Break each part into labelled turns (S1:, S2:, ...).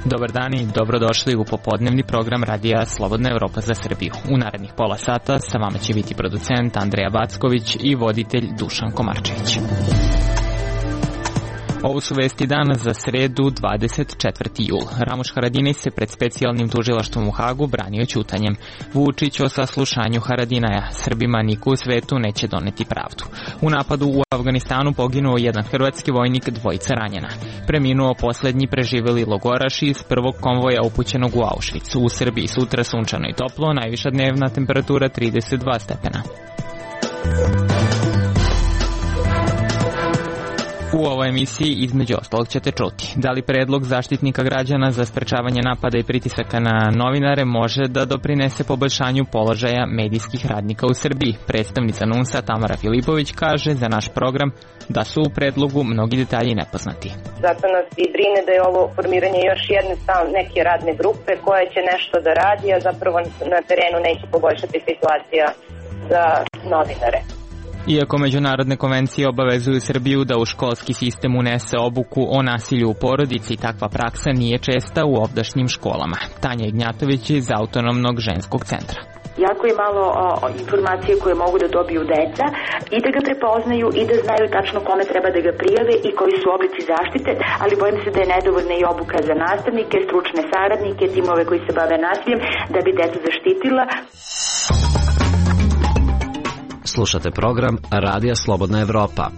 S1: Dobar dan i dobrodošli u popodnevni program radija Slobodna Evropa za Srbiju. U narednih pola sata sa vama će biti producent Andreja Backović i voditelj Dušan Komarčević. Ovo su vesti dana za sredu 24. jul. Ramuš Haradinaj se pred specijalnim tužilaštvom u Hagu branio ćutanjem. Vučić o saslušanju Haradinaja. Srbima niko u svetu neće doneti pravdu. U napadu u Afganistanu poginuo jedan hrvatski vojnik, dvojica ranjena. Preminuo poslednji preživeli logoraš iz prvog konvoja upućenog u Auschwitz. U Srbiji sutra sunčano i toplo, najviša dnevna temperatura 32 stepena. U ovoj emisiji između ostalog ćete čuti da li predlog Zaštitnika građana za sprečavanje napada i pritisaka na novinare može da doprinese poboljšanju položaja medijskih radnika u Srbiji. Predstavnica NUNS-a Tamara Filipović kaže za naš program da su u predlogu mnogi detalji nepoznati.
S2: Zato nas i brine da je ovo formiranje još jedne neke radne grupe koja će nešto da radi, a zapravo na terenu neće poboljšati situacija za novinare.
S1: Iako međunarodne konvencije obavezuju Srbiju da u školski sistem unese obuku o nasilju u porodici, takva praksa nije česta u ovdašnjim školama. Tanja Ignjatović iz Autonomnog ženskog centra.
S3: Jako je malo informacije koje mogu da dobiju deca i da ga prepoznaju i da znaju tačno kome treba da ga prijave i koji su oblici zaštite, ali bojim se da je nedovoljna i obuka za nastavnike, stručne saradnike, timove koji se bave nasiljem da bi decu zaštitila.
S4: Slušate program Radija Slobodna Evropa.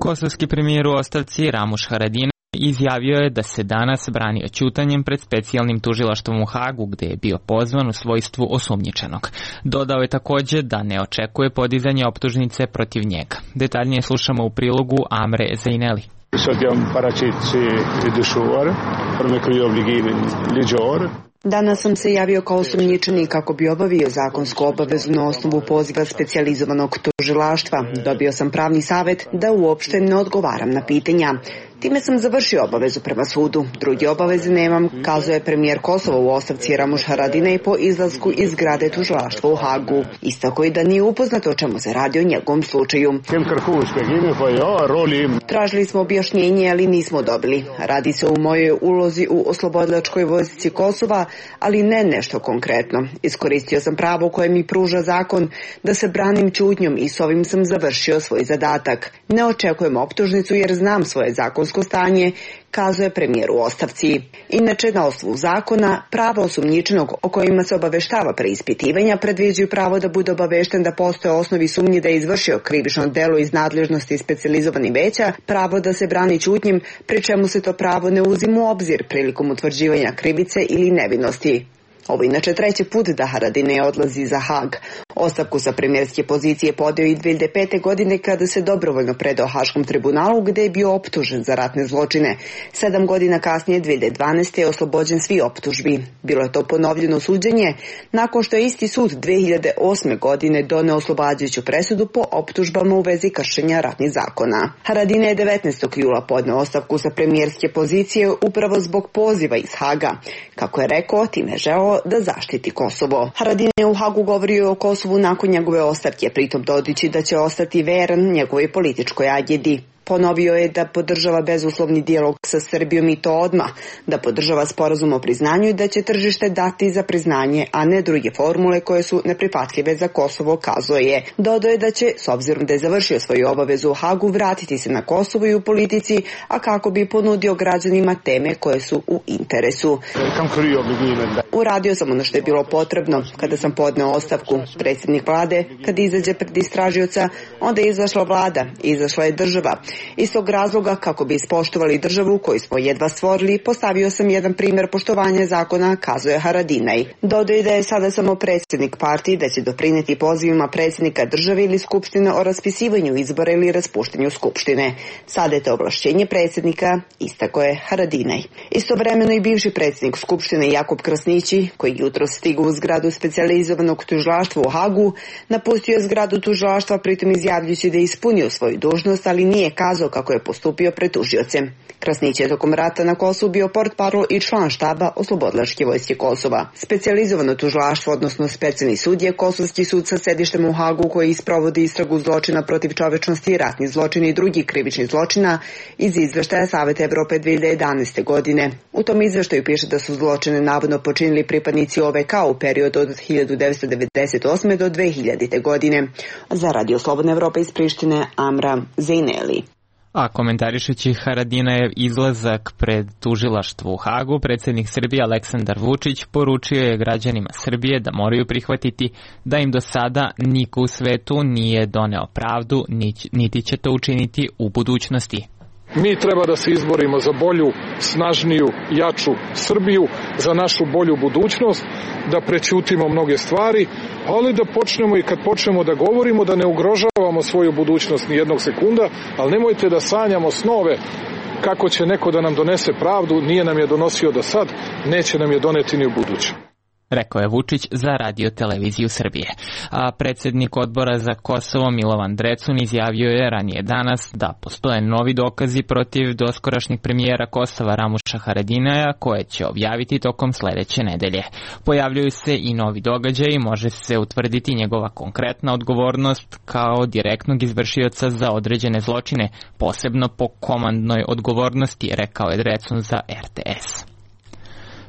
S1: Kosovski premijer u ostavci Ramuš Haradinaj izjavio je da se danas branio ćutanjem pred specijalnim tužilaštvom u Hagu, gde je bio pozvan u svojstvu osumnjičenog. Dodao je takođe da ne očekuje podizanje optužnice protiv njega. Detaljnije slušamo u prilogu Amre Zeineli.
S5: Danas sam se javio kao osumnjičenik kako bi obavio zakonsku obavezu na osnovu poziva specijalizovanog tužilaštva. Dobio sam pravni savet da uopšte ne odgovaram na pitanja. Time sam završio obavezu prema sudu. Druge obaveze nemam, kazuje premijer Kosova u ostavci Ramuš Haradinaj po izlasku iz zgrade tužilaštva u Hagu. Istako i da nije upoznato o čemu se radi o njegovom slučaju. Tražili smo objašnjenje, ali nismo dobili. Radi se o mojoj ulozi u oslobodilačkoj vojsci Kosova, ali ne nešto konkretno. Iskoristio sam pravo koje mi pruža zakon da se branim ćutnjom i s ovim sam završio svoj zadatak. Ne očekujem optužnicu jer znam svoje zakonsko stanje, kazuje premijer u ostavci. Inače, na osnovu zakona, prava osumnjičenog o kojima se obaveštava preispitivanja predviđaju pravo da bude obavešten da postoje osnovi sumnji da je izvršio krivično delo iz nadležnosti specijalizovanih veća, pravo da se brani ćutnjim, pri čemu se to pravo ne uzima u obzir prilikom utvrđivanja krivice ili nevinosti. Ovo inače treći put da Haradinaj odlazi za Hag. Ostavku sa premijerske pozicije podeo i 2005. godine kada se dobrovoljno predao Haškom tribunalu gde je bio optužen za ratne zločine. 7 godina kasnije, 2012. je oslobođen svi optužbi. Bilo je to ponovljeno suđenje nakon što je isti sud 2008. godine doneo oslobađajuću presudu po optužbama u vezi kršenja ratnih zakona. Haradinaj je 19. jula podneo ostavku sa premijerske pozicije upravo zbog poziva iz Haga. Kako je rekao, time je želeo da zaštiti Kosovo. Haradinaj u Hagu govorio o Kosovu nakon njegove ostavke, pritom dodajući da će ostati veran njegovoj političkoj agendi. Ponovio je da podržava bezuslovni dijalog sa Srbijom i to odmah, da podržava sporazum o priznanju i da će tržište dati za priznanje, a ne druge formule koje su neprihvatljive za Kosovo, kazao je. Dodao je da će, s obzirom da je završio svoju obavezu u Hagu, vratiti se na Kosovo i u politici, a kako bi ponudio građanima teme koje su u interesu. Uradio sam ono što je bilo potrebno kada sam podneo ostavku. Predsjednik vlade, kad izađe pred istražioca, onda je izašla vlada, izašla je država. Iz tog razloga, kako bi ispoštovali državu koju smo jedva stvorili, postavio sam jedan primjer poštovanja zakona, kazuje Haradinaj. Dodao je da je sada samo predsjednik partije, da će doprineti pozivima predsjednika države ili skupštine o raspisivanju izbora ili raspuštenju skupštine. Sada je to ovlašćenje predsjednika, istako je Haradinaj. Istovremeno i bivši predsjednik skupštine Jakub Krasnići, koji jutro stigao u zgradu specijalizovanog tužilaštva u Hagu, napustio je zgradu tužilaštva, pritom izjavljujući da je ispunio svoju dužnost, ali nije kazao kako je postupio pred tužiocem. Krasnić je tokom rata na Kosovu bio portparol i član štaba Oslobodilačke vojske Kosova. Specijalizovano tužilaštvo, odnosno specijalni sud je Kosovski sud sa sedištem u Hagu koji sprovodi istragu zločina protiv čovečnosti, ratnih zločina i drugih krivičnih zločina iz izveštaja Saveta Evrope 2011. godine. U tom izveštaju piše da su zločine navodno počinili pripadnici OVK u periodu od 1998. do 2000. godine. Za Radio Slobodna Evropa iz Prištine, Amra Zejneli.
S1: A komentarišući Haradinajev izlazak pred tužilaštvo u Hagu, predsjednik Srbije Aleksandar Vučić poručio je građanima Srbije da moraju prihvatiti da im do sada niko u svetu nije doneo pravdu, niti će to učiniti u budućnosti.
S6: Mi treba da se izborimo za bolju, snažniju, jaču Srbiju, za našu bolju budućnost, da prećutimo mnoge stvari, ali da počnemo i kad počnemo da govorimo da ne ugrožavamo svoju budućnost ni jednog sekunda, ali nemojte da sanjamo snove kako će neko da nam donese pravdu, nije nam je donosio do sad, neće nam je doneti ni u buduće.
S1: Rekao je Vučić za Radio televiziju Srbije. A predsjednik odbora za Kosovo Milovan Drecun izjavio je ranije danas da postoje novi dokazi protiv doskorašnjeg premijera Kosova Ramuša Haradinaja koje će objaviti tokom sledeće nedelje. Pojavljuju se i novi događaji i može se utvrditi njegova konkretna odgovornost kao direktnog izvršioca za određene zločine, posebno po komandnoj odgovornosti, rekao je Drecun za RTS.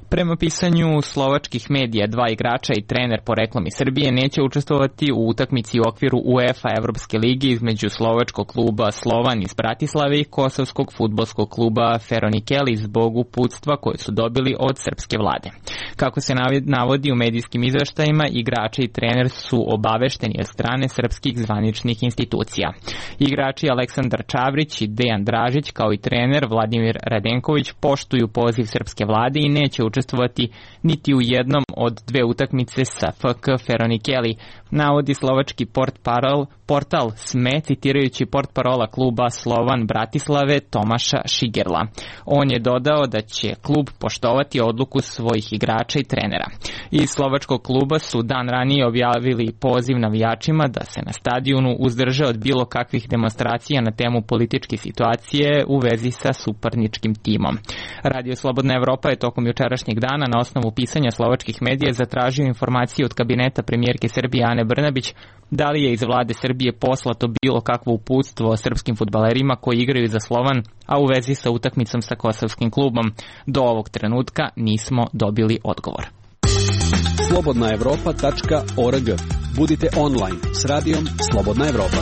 S1: Prema pisanju slovačkih medija, 2 igrača i trener poreklom iz Srbije neće učestvovati u utakmici u okviru UEFA Evropske lige između slovačkog kluba Slovan iz Bratislave i kosovskog fudbalskog kluba Feronikeli zbog uputstva koje su dobili od srpske vlade. Kako se navodi u medijskim izveštajima, igrači i trener su obavešteni od strane srpskih zvaničnih institucija. Igrači Aleksandar Čavrić i Dejan Dražić kao i trener Vladimir Radenković poštuju poziv srpske vlade i neće učestvovati niti u jednom od 2 utakmice sa FK Feronikeli, navodi slovački portal SME citirajući portparola kluba Slovan Bratislave Tomaša Šigerla. On je dodao da će klub poštovati odluku svojih igrača i trenera. Iz slovačkog kluba su dan ranije objavili poziv navijačima da se na stadionu uzdrže od bilo kakvih demonstracija na temu političke situacije u vezi sa suparničkim timom. Radio Slobodna Evropa je tokom jučerašnjeg dana na osnovu pisanja slovačkih medija zatražio informacije od kabineta premijerke Srbije Ane Brnabić da li je iz vlade Srbije poslato bilo kakvo uputstvo o srpskim fudbalerima koji igraju za Slovan, a u vezi sa utakmicom sa kosovskim klubom. Do ovog trenutka nismo dobili odgovor.
S7: slobodnaevropa.org. Budite online s radijom Slobodna Evropa.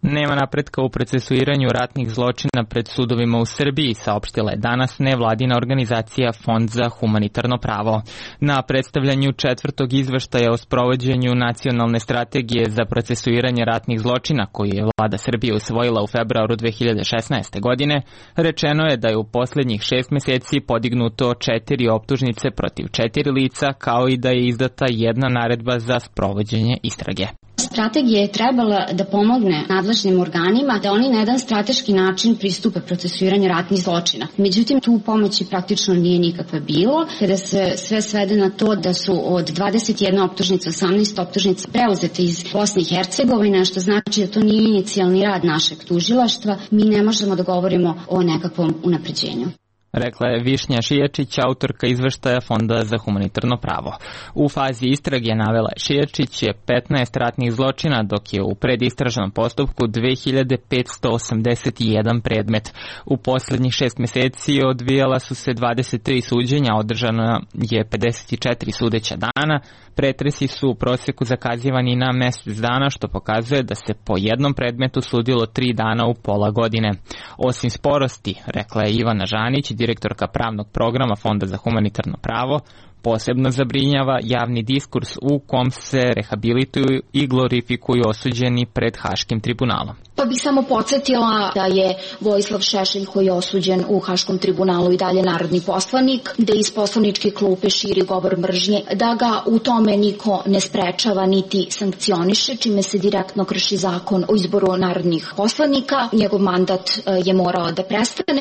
S1: Nema napretka u procesuiranju ratnih zločina pred sudovima u Srbiji, saopštila je danas nevladina organizacija Fond za humanitarno pravo. Na predstavljanju 4. izveštaja o sprovođenju nacionalne strategije za procesuiranje ratnih zločina, koji je vlada Srbije usvojila u februaru 2016. godine, rečeno je da je u posljednjih 6 meseci podignuto 4 optužnice protiv 4 lica, kao i da je izdata jedna naredba za sprovođenje istrage.
S8: Strategija je trebala da pomogne nadležnim organima da oni na jedan strateški način pristupe procesuiranju ratnih zločina. Međutim, tu pomoći praktično nije nikakve bilo, kada se sve svede na to da su od 21 optužnica, 18 optužnica preuzete iz Bosne i Hercegovine, što znači da to nije inicijalni rad našeg tužilaštva, mi ne možemo da govorimo o nekakvom unapređenju.
S1: Rekla je Višnja Šijačić, autorka izveštaja Fonda za humanitarno pravo. U fazi istrage, navela je Šijačić, je 15 ratnih zločina, dok je u predistražnom postupku 2581 predmet. U posljednjih 6 meseci odvijala su se 23 suđenja, održano je 54 sudeća dana. Pretresi su u prosjeku zakazivani na mjesec dana, što pokazuje da se po jednom predmetu sudilo 3 dana u pola godine. Osim sporosti, rekla je Ivana Žanić, direktorka pravnog programa Fonda za humanitarno pravo, posebno zabrinjava javni diskurs u kom se rehabilituju i glorifikuju osuđeni pred Haškim tribunalom.
S8: Pa bih samo podsjetila da je Vojislav Šešelj, koji je osuđen u Haškom tribunalu, i dalje narodni poslanik, da iz poslaničke klupe širi govor mržnje, da ga u tome niko ne sprečava niti sankcioniše, čime se direktno krši zakon o izboru narodnih poslanika. Njegov mandat je morao da prestane.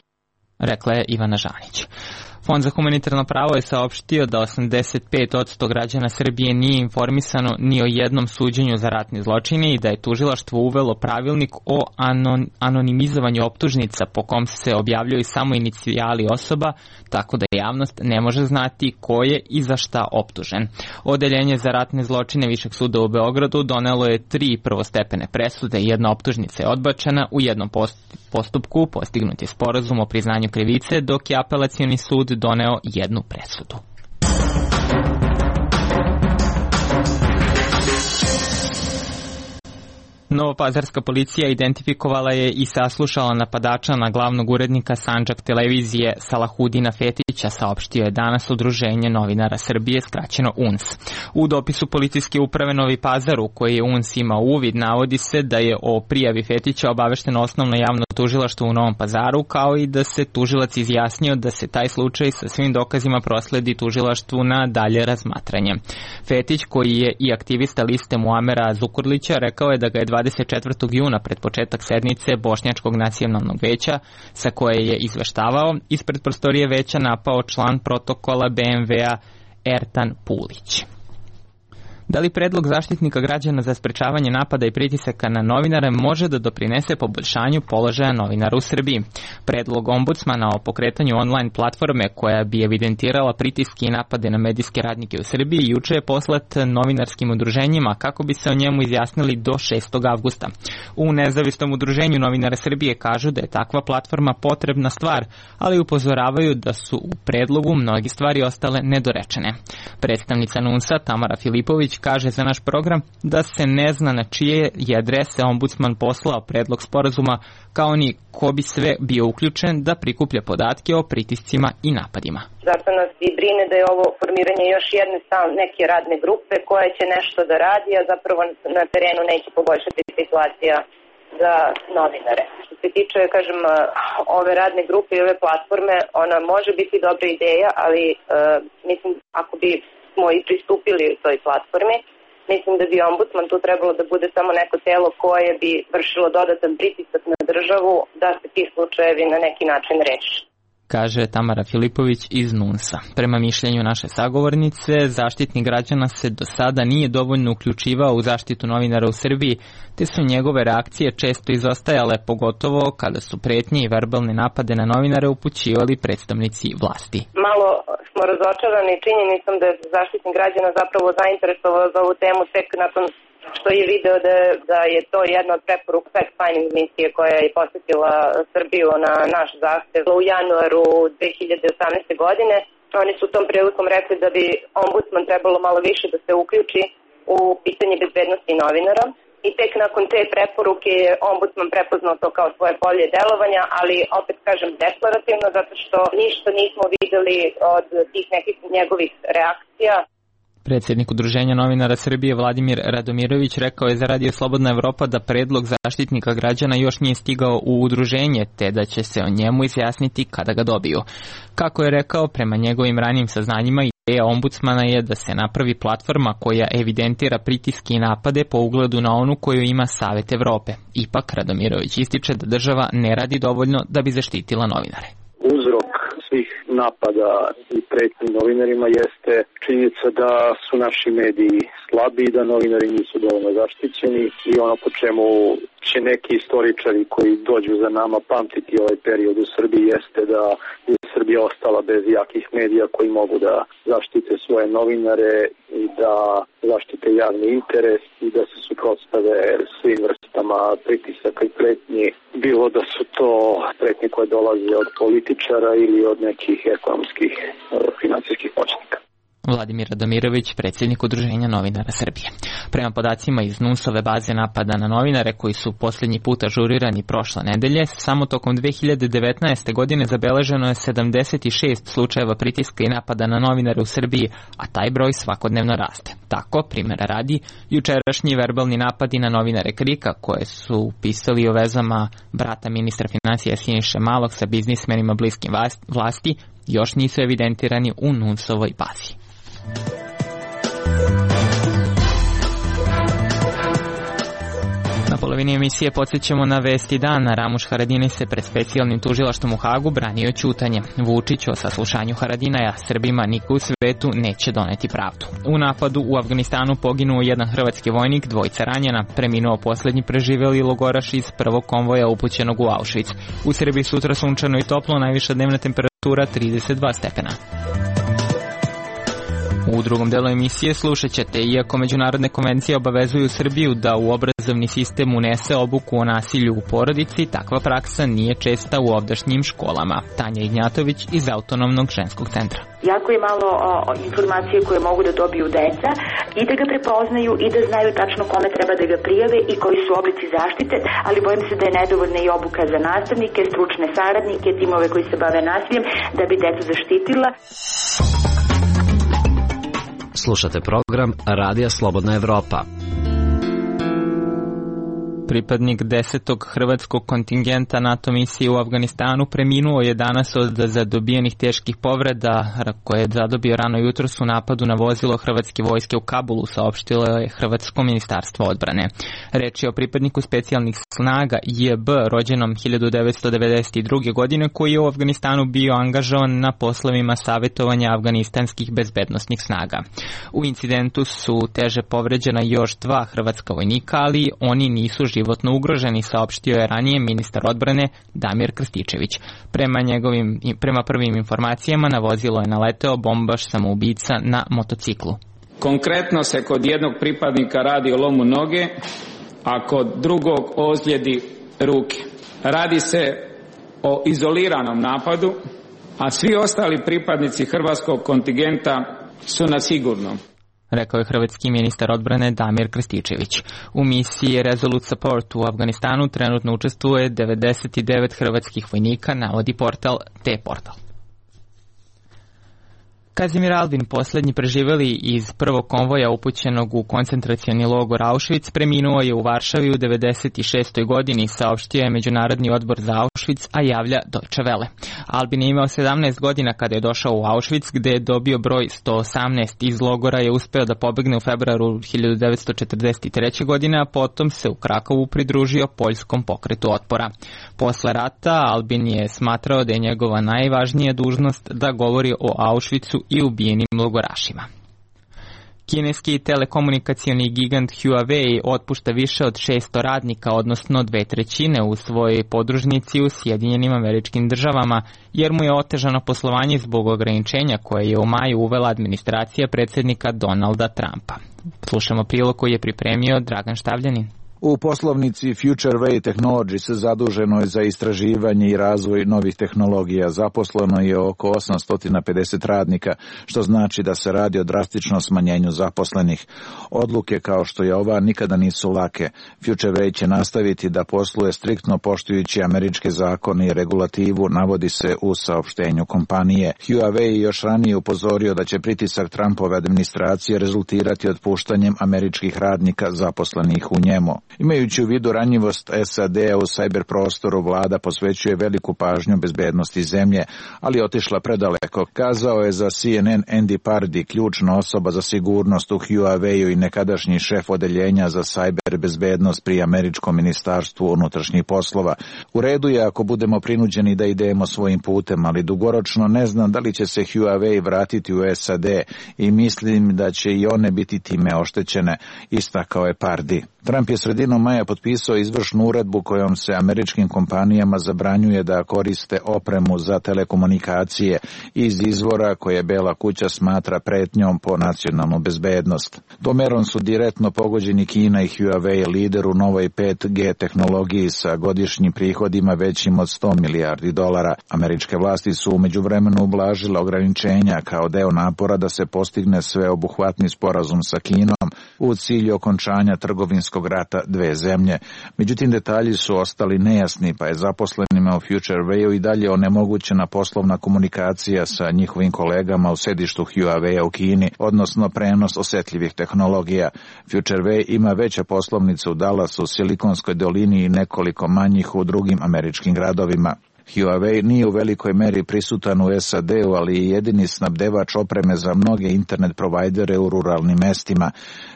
S1: Rekla je Ivana Žanić. Fond za humanitarno pravo je saopštio da 85% građana Srbije nije informisano ni o jednom suđenju za ratne zločine i da je tužilaštvo uvelo pravilnik o anonimizovanju optužnica po kom se objavljuju samo inicijali osoba, tako da javnost ne može znati ko je i za šta optužen. Odeljenje za ratne zločine Višeg suda u Beogradu donelo je 3 prvostepene presude, jedna optužnica je odbačena, u jednom postupku postignut je sporazum o priznanju krivice, dok je apelacioni sud doneo jednu presudu. Novopazarska policija identifikovala je i saslušala napadača na glavnog urednika Sandžak televizije Salahudina Fetića, saopštio je danas Udruženje novinara Srbije, skraćeno UNS. U dopisu policijske uprave Novi Pazar, u koji je UNS imao uvid, navodi se da je o prijavi Fetića obavešteno osnovno javno tužilaštvo u Novom Pazaru, kao i da se tužilac izjasnio da se taj slučaj sa svim dokazima prosledi tužilaštvu na dalje razmatranje. Fetić, koji je i aktivista liste Muamera Zukorlića, rekao je da ga je 24. juna pred početak sednice Bošnjačkog nacionalnog veća, sa koje je izveštavao, ispred prostorije veća napao član protokola BMW-a Ertan Pulić. Da li predlog Zaštitnika građana za sprečavanje napada i pritisaka na novinare može da doprinese poboljšanju položaja novinara u Srbiji? Predlog ombudsmana o pokretanju online platforme koja bi evidentirala pritiske i napade na medijske radnike u Srbiji juče je poslat novinarskim udruženjima kako bi se o njemu izjasnili do 6. avgusta. U nezavisnom udruženju novinara Srbije kažu da je takva platforma potrebna stvar, ali upozoravaju da su u predlogu mnogi stvari ostale nedorečene. Predstavnica NUNS-a Tamara Filipović kaže za naš program da se ne zna na čije je adrese ombudsman poslao predlog sporazuma, kao ni ko bi sve bio uključen da prikuplja podatke o pritiscima i napadima.
S2: Zato nas i brine da je ovo formiranje još jedne neke radne grupe koja će nešto da radi, a zapravo na terenu neće poboljšati situacija za novinare. Što se tiče, kažem, ove radne grupe i ove platforme, ona može biti dobra ideja, ali mislim, ako bi smo i pristupili toj platformi, mislim da bi ombudsman tu trebalo da bude samo neko telo koje bi vršilo dodatan pritisak na državu da se ti slučajevi na neki način reši,
S1: kaže Tamara Filipović iz NUNS-a. Prema mišljenju naše sagovornice, Zaštitnik građana se do sada nije dovoljno uključivao u zaštitu novinara u Srbiji, te su njegove reakcije često izostajale, pogotovo kada su pretnje i verbalne napade na novinare upućivali predstavnici vlasti.
S2: Malo smo razočarani činjenicom da je Zaštitnik građana zapravo zainteresovao za ovu temu tek nakon što je video da je to jedna od preporuka fact-finding misije koja je posetila Srbiju na naš zahtev u januaru 2018. godine. Oni su tom prilikom rekli da bi ombudsman trebalo malo više da se uključi u pitanje bezbednosti novinara. I tek nakon te preporuke je ombudsman prepoznao to kao svoje polje delovanja, ali opet kažem deklarativno, zato što ništa nismo videli od tih nekih njegovih reakcija.
S1: Predsjednik Udruženja novinara Srbije Vladimir Radomirović rekao je za Radio Slobodna Evropa da predlog Zaštitnika građana još nije stigao u udruženje, te da će se o njemu izjasniti kada ga dobiju. Kako je rekao, prema njegovim ranijim saznanjima, ideja ombudsmana je da se napravi platforma koja evidentira pritiske i napade po ugledu na onu koju ima Savet Evrope. Ipak, Radomirović ističe da država ne radi dovoljno da bi zaštitila novinare.
S9: Uzrok svih napada i pretnji novinarima jeste činjenica da su naši mediji slabi i da novinari nisu dovoljno zaštićeni i ono po čemu će neki istoričari koji dođu za nama pamtiti ovaj period u Srbiji jeste da je Srbija ostala bez jakih medija koji mogu da zaštite svoje novinare i da zaštite javni interes i da se suprotstave svim vrstama pritisaka i pretnji, bilo da su to pretnje koje dolaze od političara ili od nekih ekonomskih finansijskih moćnika.
S1: Vladimir Radomirović, predsjednik Udruženja novinara Srbije. Prema podacima iz NUNS-ove baze napada na novinare koji su posljednji put ažurirani prošle nedelje, samo tokom 2019. godine zabeleženo je 76 slučajeva pritiska i napada na novinare u Srbiji, a taj broj svakodnevno raste. Tako, primjera radi, jučerašnji verbalni napadi na novinare Krika, koje su pisali o vezama brata ministra financija Siniše Malog sa biznismenima bliskim vlasti, još nisu evidentirani u NUNS-ovoj bazi. polovini emisije podsjećamo na vesti dana. Ramuš Haradinaj se pred specijalnim tužilaštvom u Hagu branio ćutanjem. Vučić o saslušanju Haradinaja Srbima niko u svetu neće doneti pravdu. U napadu u Afganistanu poginuo jedan hrvatski vojnik, 2 ranjena, preminuo poslednji preživeli logoraš iz prvog konvoja upućenog u Auschwitz. U Srbiji sutra sunčano i toplo, najviša dnevna temperatura 32 stepena. U drugom delu emisije slušat ćete, iako međunarodne konvencije obavezuju Srbiju da u obrazovni sistem unese obuku o nasilju u porodici, takva praksa nije česta u ovdašnjim školama. Tanja Ignjatović iz Autonomnog ženskog centra.
S3: Jako je malo informacije koje mogu da dobiju deca i da ga prepoznaju i da znaju tačno kome treba da ga prijave i koji su oblici zaštite, ali bojim se da je nedovoljna i obuka za nastavnike, stručne saradnike, timove koji se bave nasiljem da bi decu zaštitila.
S4: Slušate program Radija Slobodna Evropa.
S1: Pripadnik 10. hrvatskog kontingenta NATO misije u Afganistanu preminuo je danas od zadobijenih teških povreda koje je zadobio rano jutros u napadu na vozilo hrvatske vojske u Kabulu, saopštilo je Hrvatsko ministarstvo odbrane. Reč je o pripadniku specijalnih snaga JB, rođenom 1992. godine, koji je u Afganistanu bio angažovan na poslovima savjetovanja afganistanskih bezbednosnih snaga. U incidentu su teže povređena još 2 hrvatska vojnika, ali oni nisu životno ugroženi, saopštio je ranije ministar odbrane Damir Krstičević. Prema prvim informacijama na vozilo je naleteo bombaš samoubica na motociklu.
S10: Konkretno se kod jednog pripadnika radi o lomu noge, a kod drugog ozljedi ruke. Radi se o izoliranom napadu, a svi ostali pripadnici hrvatskog kontingenta su na sigurnom,
S1: rekao je hrvatski ministar odbrane Damir Krstičević. U misiji Resolute Support u Afganistanu trenutno učestvuje 99 hrvatskih vojnika, navodi portal T-Portal. Kazimir Albin, poslednji preživeli iz prvog konvoja upućenog u koncentracioni logor Auschwitz, preminuo je u Varšavi u 96. godini, saopštio je Međunarodni odbor za Auschwitz, a javlja Deutsche Welle. Albin je imao 17 godina kada je došao u Auschwitz, gde je dobio broj 118. Iz logora je uspeo da pobegne u februaru 1943. godine, a potom se u Krakovu pridružio poljskom pokretu otpora. Posle rata Albin je smatrao da je njegova najvažnija dužnost da govori o Auschwitzu i ubijenim logorašima. Kineski telekomunikacioni gigant Huawei otpušta više od 600 radnika, odnosno 2/3 u svojoj podružnici u Sjedinjenim Američkim Državama, jer mu je otežano poslovanje zbog ograničenja koje je u maju uvela administracija predsjednika Donalda Trumpa. Slušamo prilog koji je pripremio Dragan Štavljanin.
S11: U poslovnici FutureWay Technologies zaduženo je za istraživanje i razvoj novih tehnologija. Zaposleno je oko 850 radnika, što znači da se radi o drastičnom smanjenju zaposlenih. Odluke kao što je ova nikada nisu lake. FutureWay će nastaviti da posluje striktno poštujući američke zakone i regulativu, navodi se u saopštenju kompanije. Huawei je još ranije upozorio da će pritisak Trumpove administracije rezultirati otpuštanjem američkih radnika zaposlenih u njemu. Imajući u vidu ranjivost SAD-a u cyber prostoru, vlada posvećuje veliku pažnju bezbednosti zemlje, ali otišla predaleko, kazao je za CNN Andy Pardy, ključna osoba za sigurnost u Huawei-u i nekadašnji šef odeljenja za cyber bezbednost pri američkom ministarstvu unutrašnjih poslova. U redu je ako budemo prinuđeni da idemo svojim putem, ali dugoročno ne znam da li će se Huawei vratiti u SAD i mislim da će i one biti time oštećene, istakao je Pardy. Trump je sredinom maja potpisao izvršnu uredbu kojom se američkim kompanijama zabranjuje da koriste opremu za telekomunikacije iz izvora koje Bela kuća smatra pretnjom po nacionalnu bezbednost. Tom merom su direktno pogođeni Kina i Huawei, lider u novoj 5G tehnologiji sa godišnjim prihodima većim od $100 milijardi. Američke vlasti su u međuvremenu ublažile ograničenja kao deo napora da se postigne sveobuhvatni sporazum sa Kinom u cilju okončanja trgovinskog rata dve zemlje. Međutim, detalji su ostali nejasni, pa je zaposlenima u FutureWayu i dalje onemogućena poslovna komunikacija sa njihovim kolegama u sedištu Huawei u Kini, odnosno prenos osetljivih tehnologija. FutureWay ima veće poslovnice u Dallasu, Silikonskoj dolini i nekoliko manjih u drugim američkim gradovima. Huawei nije u velikoj meri prisutan u SAD-u, ali je jedini snabdevač opreme za mnoge internet provajdere u ruralnim mestima.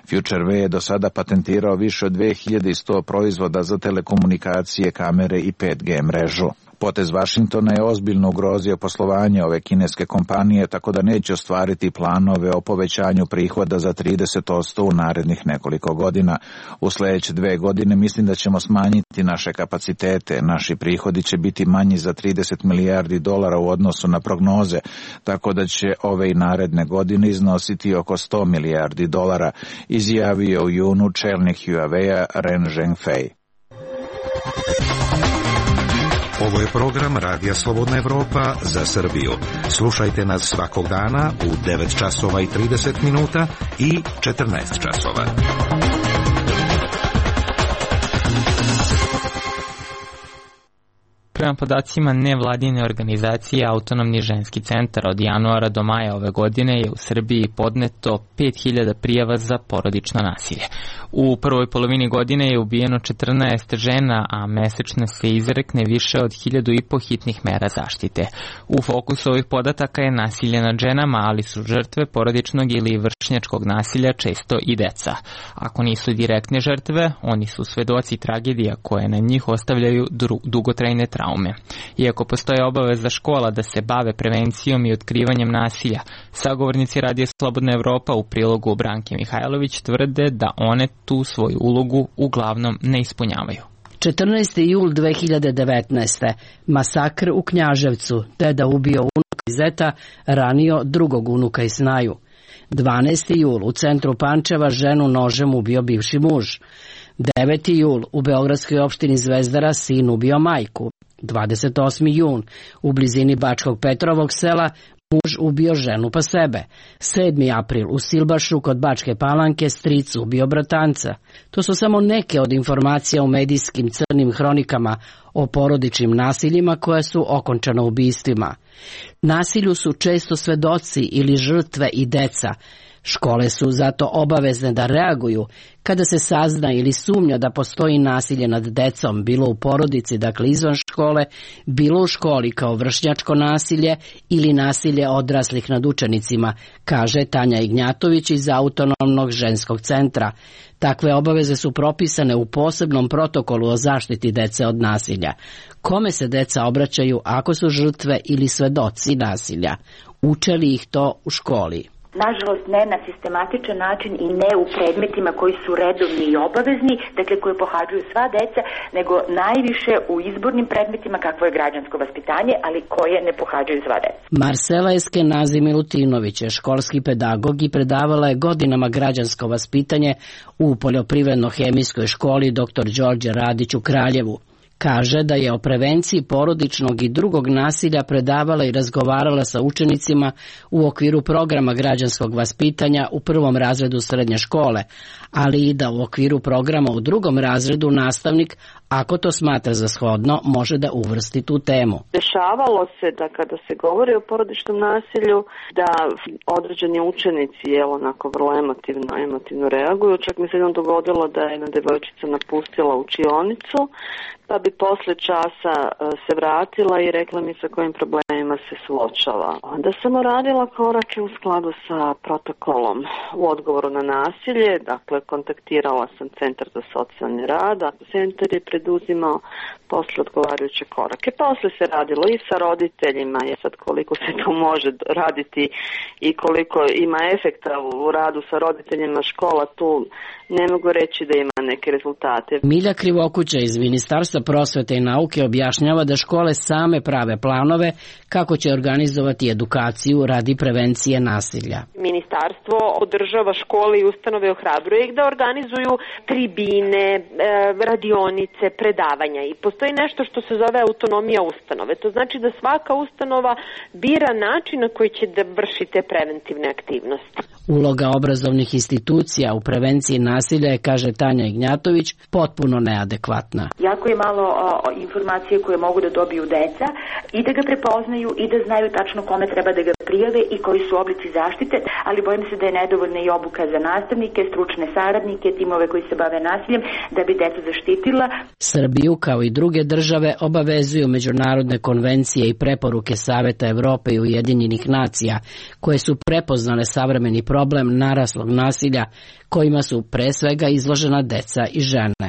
S11: FutureWave je do sada patentirao više od 2100 proizvoda za telekomunikacije, kamere i 5G mrežu. Potez Vašingtona je ozbiljno ugrozio poslovanje ove kineske kompanije, tako da neće ostvariti planove o povećanju prihoda za 30% u narednih nekoliko godina. U sledeće 2 godine mislim da ćemo smanjiti naše kapacitete. Naši prihodi će biti manji za $30 milijardi u odnosu na prognoze, tako da će ove i naredne godine iznositi oko $100 milijardi, izjavio u junu čelnik Huawei-a Ren Zhengfei.
S12: Ovo je program Radija Slobodna Evropa za Srbiju. Slušajte nas svakog dana u 9 časova i 30 minuta i 14 časova.
S1: Prema podacima nevladine organizacije Autonomni ženski centar, od januara do maja ove godine je u Srbiji podneto 5000 prijava za porodično nasilje. U prvoj polovini godine je ubijeno 14 žena, a mesečno se izrekne više od 1500 hitnih mera zaštite. U fokusu ovih podataka je nasilje nad ženama, ali su žrtve porodičnog ili vršnjačkog nasilja često i deca. Ako nisu direktne žrtve, oni su svedoci tragedija koje na njih ostavljaju dugotrajne traume. Iako postoje obaveza škola da se bave prevencijom i otkrivanjem nasilja, sagovornici Radija Slobodna Evropa u prilogu Branke Mihajlović tvrde da one tu svoju ulogu uglavnom ne ispunjavaju.
S13: 14. jul 2019. Masakr u Knjaževcu, deda ubio unuka iz zeta, ranio drugog unuka iz Snaju. 12. jul u centru Pančeva ženu nožem ubio bivši muž. 9. jul u beogradskoj opštini Zvezdara sin ubio majku. 28. jun u blizini Bačkog Petrovog sela muž ubio ženu pa sebe. 7. april u Silbašu kod Bačke Palanke stric ubio bratanca. To su samo neke od informacija u medijskim crnim hronikama o porodičnim nasiljima koja su okončana ubistvima. Nasilju su često svedoci ili žrtve i deca. Škole su zato obavezne da reaguju kada se sazna ili sumnja da postoji nasilje nad decom, bilo u porodici, dakle izvan škole, bilo u školi kao vršnjačko nasilje ili nasilje odraslih nad učenicima, kaže Tanja Ignjatović iz Autonomnog ženskog centra. Takve obaveze su propisane u posebnom protokolu o zaštiti dece od nasilja. Kome se deca obraćaju ako su žrtve ili svedoci nasilja? Uče li ih to u školi?
S3: Nažalost, ne na sistematičan način i ne u predmetima koji su redovni i obavezni, dakle koje pohađaju sva deca, nego najviše u izbornim predmetima kakvo je građansko vaspitanje, ali koje ne pohađaju sva deca.
S13: Marsela Eskenazi Milutinović je školski pedagog i predavala je godinama građansko vaspitanje u poljoprivredno-hemijskoj školi dr. Đorđe Radić u Kraljevu. Kaže da je o prevenciji porodičnog i drugog nasilja predavala i razgovarala sa učenicima u okviru programa građanskog vaspitanja u 1. razredu srednje škole, ali i da u okviru programa u 2. razredu nastavnik, ako to smatra za shodno, može da uvrsti tu temu.
S14: Dešavalo se da kada se govori o porodičnom nasilju, da određeni učenici onako vrlo emotivno reaguju. Čak mi se jednom dogodilo da je jedna devojčica napustila učionicu, pa bi posle časa se vratila i rekla mi sa kojim problemima se suočava. Onda sam uradila korake u skladu sa protokolom u odgovoru na nasilje, dakle kontaktirala sam Centar za socijalni rad, a centar je preduzimao posle odgovarajuće korake. Posle se radilo i sa roditeljima, je sad koliko se to može raditi i koliko ima efekta u radu sa roditeljima škola, tu ne mogu reći da ima neke rezultate.
S13: Milja Krivokuća iz Ministarstva prosvete i nauke objašnjava da škole same prave planove kako će organizovati edukaciju radi prevencije nasilja.
S15: Ministarstvo podržava škole i ustanove, ohrabruje ih da organizuju tribine, radionice, predavanja i postoji nešto što se zove autonomija ustanove. To znači da svaka ustanova bira način na koji će da vrši te preventivne aktivnosti.
S13: Uloga obrazovnih institucija u prevenciji nasilja je, kaže Tanja Ignjatović, potpuno neadekvatna.
S3: Jako je malo informacije koje mogu da dobiju deca i da ga prepoznaju i da znaju tačno kome treba da ga prijave i koji su oblici zaštite, ali bojim se da je nedovoljna i obuka za nastavnike, stručne saradnike, timove koji se bave nasiljem, da bi decu zaštitila.
S13: Srbiju, kao i druge države, obavezuju međunarodne konvencije i preporuke Saveta Evrope i Ujedinjenih nacija, koje su prepoznale savremeni problem naraslog nasilja, kojima su pre svega izložena deca i žene.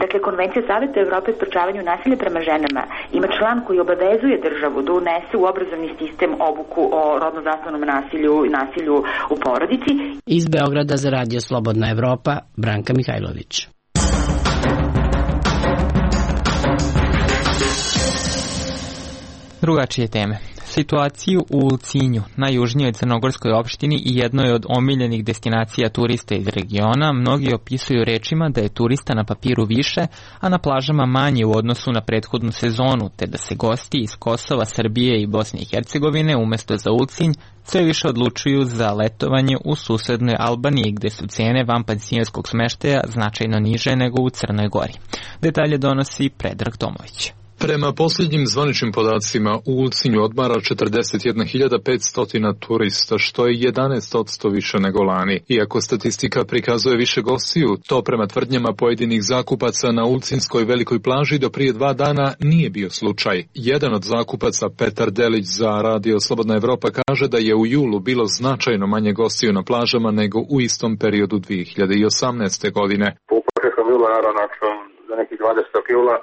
S3: Dakle, Konvencija Saveta Evrope o sprečavanju nasilja prema ženama ima član koji obavezuje državu da unese u obrazovni sistem obuku o rodno zasnovanom nasilju i nasilju u porodici.
S13: Iz Beograda za Radio Slobodna Evropa, Branka Mihajlović.
S1: Drugačije teme. Situaciju u Ulcinju, najjužnijoj crnogorskoj opštini i jednoj od omiljenih destinacija turista iz regiona, mnogi opisuju rečima da je turista na papiru više, a na plažama manje u odnosu na prethodnu sezonu, te da se gosti iz Kosova, Srbije i Bosne i Hercegovine umesto za Ulcinj sve više odlučuju za letovanje u susednoj Albaniji, gde su cene vanpansionskog smeštaja značajno niže nego u Crnoj Gori. Detalje donosi Predrag Tomović.
S16: Prema posljednjim zvaničnim podacima, u Ulcinju odmara 41.500 turista, što je 11% više nego lani. Iako statistika prikazuje više gostiju, to prema tvrdnjama pojedinih zakupaca na Ulcinskoj velikoj plaži do prije 2 dana nije bio slučaj. Jedan od zakupaca, Petar Delić za Radio Slobodna Evropa, kaže da je u julu bilo značajno manje gostiju na plažama nego u istom periodu 2018. godine.
S17: U početkom jula, naravno, za nekih 20. jula,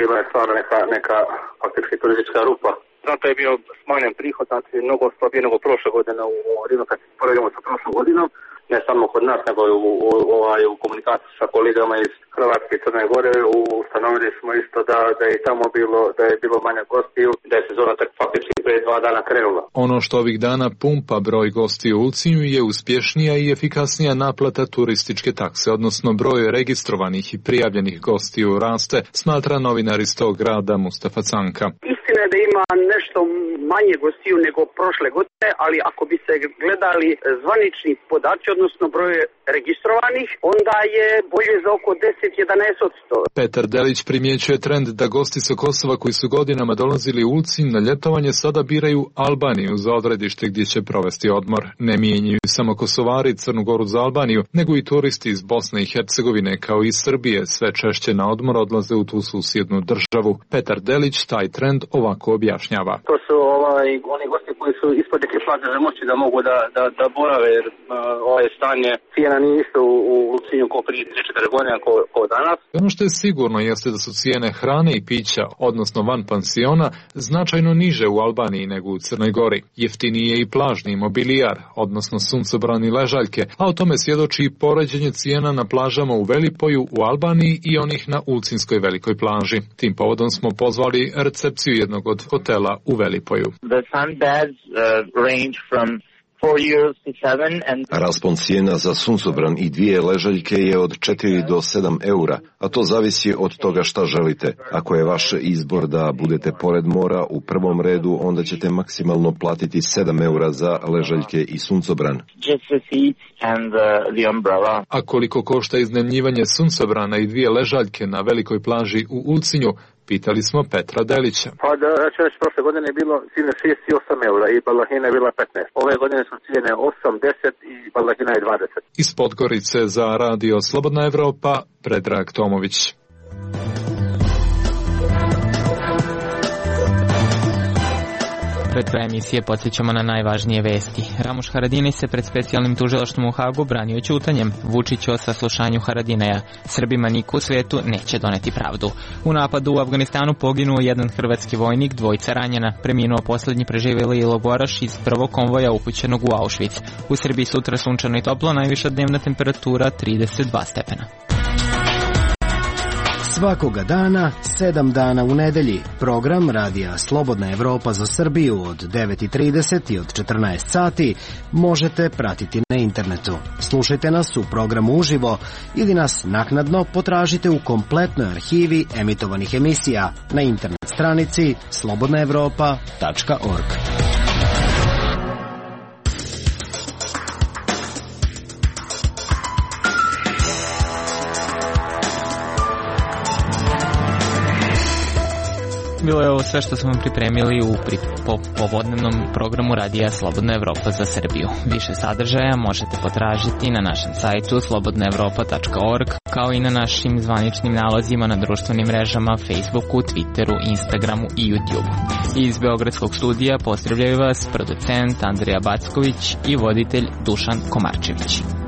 S17: bila je stvarno neka faktički turistička rupa. Zato je bio smanjen prihod, znači mnogo slabije nego prošle godine u Rinu, kad se poredimo sa prošlom godinom, ne samo kod nas, nego u komunikaciji sa kolegama iz Hrvatske i Crne Gore. Ustanovili smo isto da je tamo bilo manje gostiju, da je sezona tak faktički prije 2 dana krenula.
S16: Ono što ovih dana pumpa broj gostiju u Ulcinju je uspješnija i efikasnija naplata turističke takse, odnosno broj registrovanih i prijavljenih gostiju raste, smatra novinar iz tog grada Mustafa Canka.
S18: Istina je da ima nešto manje gostiju nego prošle godine, ali ako bi se gledali zvanični podaci, odnosno broj registrovanih, onda je bolje za oko 10-11%.
S16: Petar Delić primjećuje trend da gosti sa Kosova koji su godinama dolazili u Ulcinj na ljetovanje sada biraju Albaniju za odredište gdje će provesti odmor. Ne mijenjaju samo Kosovari Crnu Goru za Albaniju, nego i turisti iz Bosne i Hercegovine kao i Srbije sve češće na odmor odlaze u tu susjednu državu. Petar Delić taj trend ovako objašnjava.
S17: To su oni gosti koji su ispod neke plaže moći da mogu da borave, jer stanje cijena nije isto u Ulcinju kao prije 3-4 godine kao danas.
S16: Ono što je sigurno jeste da su cijene hrane i pića, odnosno van pansiona, značajno niže u Albaniji nego u Crnoj Gori. Jeftiniji je i plažni mobilijar, odnosno suncobran i ležaljke, a o tome svjedoči i poređenje cijena na plažama u Velipoju u Albaniji i onih na Ulcinskoj velikoj plaži. Tim povodom smo pozvali recepciju jednog od hotela u Velipoju.
S19: The sunbeds range from 4 euros to 7 and...
S20: Raspon cijena za suncobran i 2 ležaljke je od 4 do 7 eura, a to zavisi od toga šta želite. Ako je vaš izbor da budete pored mora u prvom redu, onda ćete maksimalno platiti 7 eura za ležaljke i suncobran.
S19: Just the seats and the umbrella.
S16: A koliko košta iznajmljivanje suncobrana i 2 ležaljke na velikoj plaži u Ulcinju? Pitali smo Petra Delića.
S17: Pa prošle godine je bilo cijene 6 i 8 eura i balahina je bila 15. Ove godine su cijene 8, 10 i balahina je 20.
S16: Iz Podgorice za Radio Slobodna Evropa, Predrag Tomović.
S1: Pred krajem emisije podsjećamo na najvažnije vesti. Ramuš Haradinaj se pred specijalnim tužilaštvom u Hagu branio ćutanjem. Vučić o saslušanju Haradinaja. Srbima niko u svetu neće doneti pravdu. U napadu u Afganistanu poginuo jedan hrvatski vojnik, 2 ranjena. Preminuo poslednji preživjeli logoraš iz prvog konvoja upućenog u Auschwitz. U Srbiji sutra sunčano i toplo, najviša dnevna temperatura 32 stepena.
S21: Svakoga dana, 7 dana u nedelji. Program Radija Slobodna Evropa za Srbiju od 9:30 i od 14 sati možete pratiti na internetu. Slušajte nas u programu uživo ili nas naknadno potražite u kompletnoj arhivi emitovanih emisija na internet stranici slobodnaevropa.org.
S1: Bilo je ovo sve što smo vam pripremili u povodnevnom programu Radija Slobodna Evropa za Srbiju. Više sadržaja možete potražiti na našem sajtu slobodnaevropa.org, kao i na našim zvaničnim nalazima na društvenim mrežama Facebooku, Twitteru, Instagramu i YouTubeu. Iz Beogradskog studija pozdravljaju vas producent Andrija Backović i voditelj Dušan Komarčević.